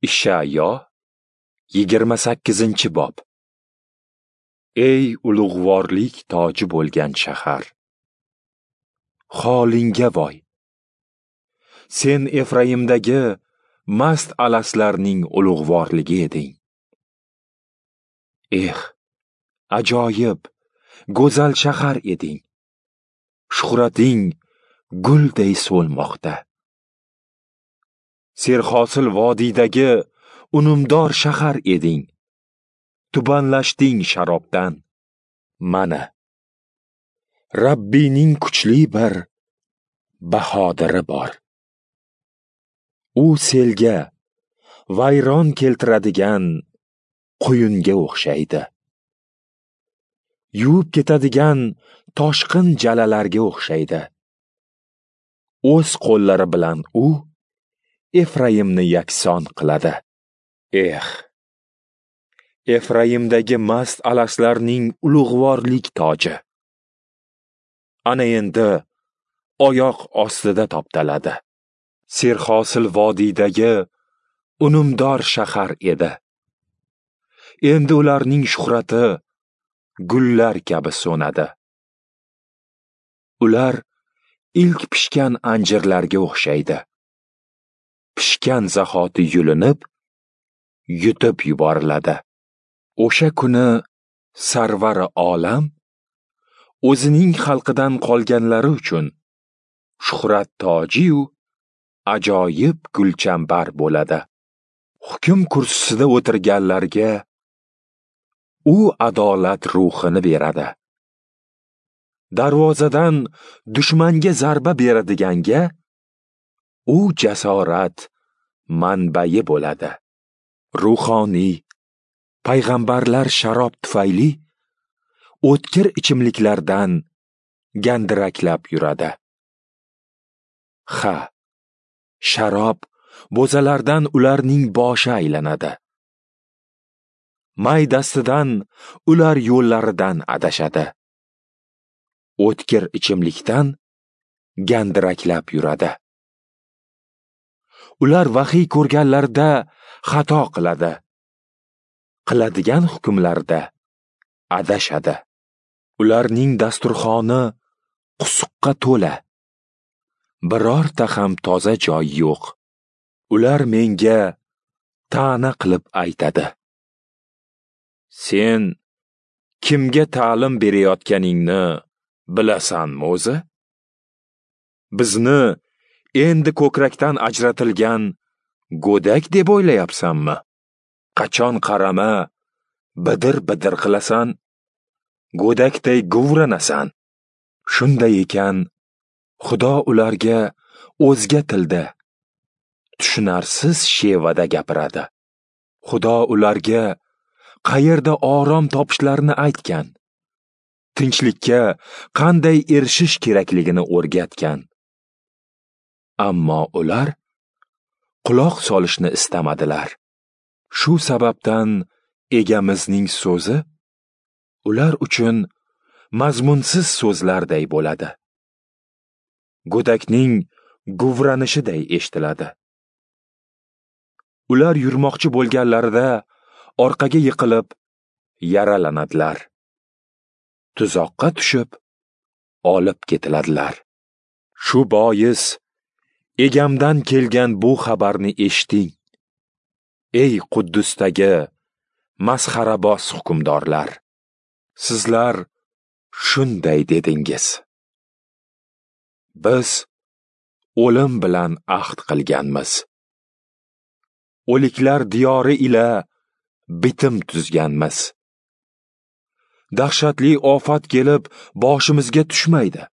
Ishayo 28-bob. Ey ulug'vorlik toji bo'lgan shahar, holingga voy! Sen Efraimdagi mast alaslarning ulug'vorligi eding. Eh, ajoyib, go'zal shahar eding. Shuhrating gulday so'lmoqda. Serhosil vodiydagi unumdor shahar eding. Tubanlashding sharobdan. Mana, Rabbiyning kuchli bir bahodiri bor. U selga, vayron keltiradigan quyunga o'xshaydi. Yuvib ketadigan toshqin jalalarga o'xshaydi. O'z qo'llari bilan u Efraimni yakson qiladi. Eh, Efraimdagi mast alaslarning ulug'vorlik toji. Ana endi oyoq ostida toptaladi. Serhosil vodiydagi unumdor shahar edi. Endi ularning shuhrati gullar kabi so'nadi. Ular ilk pishgan anjirlarga o'xshaydi. Pishgan zahoti yulinib, yutib yuboriladi. O'sha kuni Sarvari olam o'zining xalqidan qolganlari uchun shuhrat toji-yu ajoyib gulchambar bo'ladi. Hukm kursisida o'tirganlarga u adolat ruhini beradi. Darvozadan dushmanga zarba beradiganga u jasorat manbai bo'ladi. Ruhoniy payg'ambarlar sharob tufayli o'tkir ichimliklardan gandiraklab yuradi. Ha, sharob bo'zalardan ularning boshi aylanadi. May dastidan ular yo'llaridan adashadi. O'tkir ichimlikdan gandiraklab yuradi. Ular vahiy ko'rganlarida xato qiladi. Qiladigan hukmlarda adashadi. Ularning dasturxoni qusuqqa to'la. Birorta ham toza joy yo'q. Ular menga ta'na qilib aytadi: Sen kimga ta'lim berayotganingni bilasanmi o'zi? Bizni endi ko'krakdan ajratilgan go'dak deb o'ylayapsanmi? Qachon qarama, bidir-bidir qilasan, go'dakday guvranasan. Shunday ekan, Xudo ularga o'zga tilda, tushunarsiz shevada gapiradi. Xudo ularga qayerda orom topishlarini aytgan, tinchlikka qanday erishish kerakligini o'rgatgan. Ammo ular quloq solishni istamadilar. Shu sababdan Egamizning so'zi ular uchun mazmunsiz so'zlarday bo'ladi. Go'dakning guvranishiday eshitiladi. Ular yurmoqchi bo'lganlarida orqaga yiqilib yaralanadilar. Tuzoqqa tushib olib ketiladilar. Shu bois Egamdan kelgan bu xabarni eshiting. Ey Quddusdagi masxaraboz hukmdorlar, sizlar shunday dedingiz: Biz o'lim bilan ahd qilganmiz. O'liklar diyori ila bitim tuzganmiz. Dahshatli ofat kelib boshimizga tushmaydi.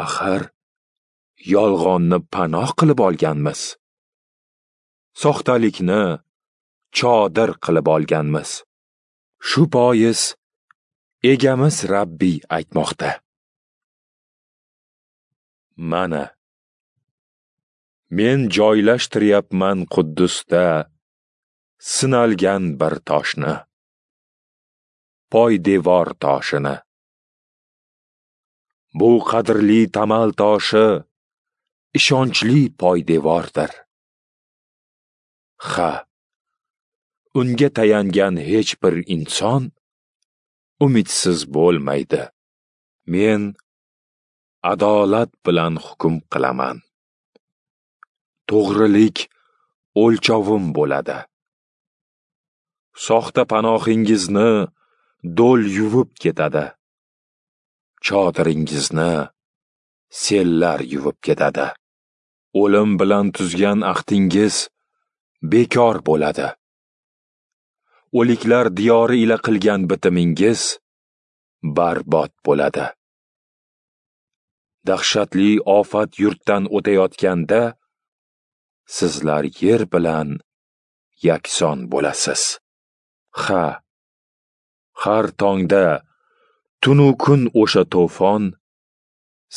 Axir yolg'onni panoh qilib olganmiz. Soxtalikni chodir qilib olganmiz. Shu bois Egamiz Rabbiy aytmoqda: Mana, men joylashtiryapman Quddusda sinalgan bir toshni, poydevor toshini. Bu qadrli tamal toshi ishonchli poydevordir. Ha, unga tayangan hech bir inson umidsiz bo'lmaydi. Men adolat bilan hukm qilaman. To'g'rilik o'lchovim bo'ladi. Soxta panohingizni do'l yuvib ketadi. Chodiringizni sellar yuvib ketadi. O'lim bilan tuzgan ahdingiz bekor bo'ladi. O'liklar diyori ila qilgan bitimingiz barbod bo'ladi. Dahshatli ofat yurtdan o'tayotganda sizlar yer bilan yakson bo'lasiz. Ha, har tongda tunu kun o'sha to'fon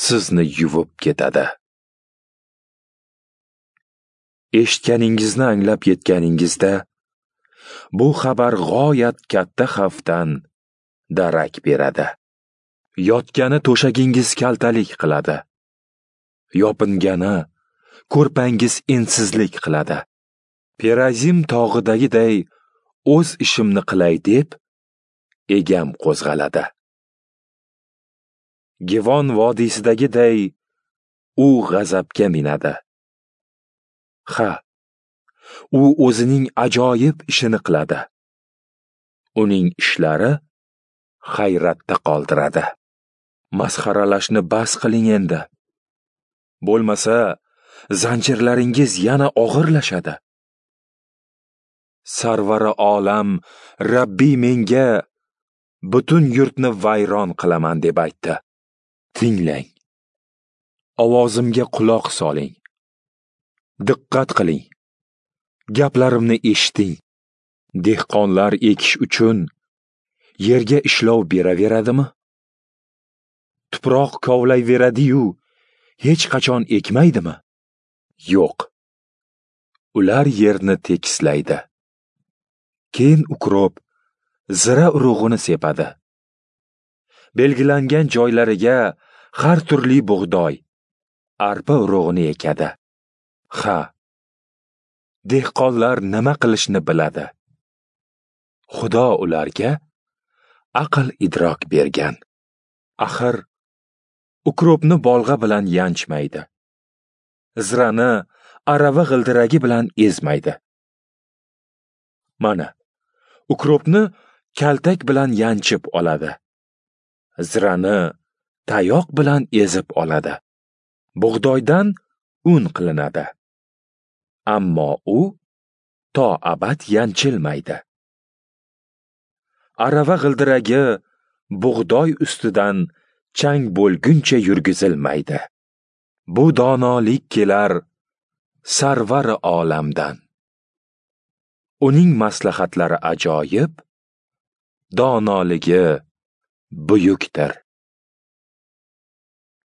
sizni yuvib ketadi. Eshitganingizni anglab yetganingizda bu xabar g'oyat katta xavfdan darak beradi. Yotgani to'shagingiz kaltalik qiladi. Yopingani ko'rpangiz ensizlik qiladi. Perazim tog'idagiday o'z ishimni qilay deb egam qo'zg'aladi. Givon vodiysidagiday u g'azabga minadi. Ha, u o'zining ajoyib ishini qiladi. Uning ishlari hayratda qoldiradi. Masxaralashni bas qiling endi. Bo'lmasa, zanjirlaringiz yana og'irlashadi. Sarvari olam Rabbiy menga butun yurtni vayron qilaman deb aytdi. Tinglang. Ovozimga quloq soling. Diqqat qiling. Gaplarimni eshiting. Dehqonlar ekish uchun yerga ishlov beraveradimi? Tuproq kovlayveradi-yu, hech qachon ekmaydimi? Yo'q. Ular yerni tekislaydi. Keyin ukrop zira urug'ini sepadi. Belgilangan joylariga har turli bug'doy, arpa urug'ini ekadi. Ha, dehqonlar nima qilishni biladi. Xudo ularga aql idrok bergan. Axir ukropni bolg'a bilan yanchmaydi. Zirani arava g'ildiragi bilan ezmaydi. Mana, ukropni kaltak bilan yanchib oladi. Zirani tayoq bilan ezib oladi. Bug'doydan un qilinadi. Ammo u to abad yanchilmaydi. Arava g'ildiragi bug'doy ustidan chang bo'lguncha yurgizilmaydi. Bu donolik kelar sarvari olamdan. Uning maslahatlari ajoyib, donoligi buyukdir.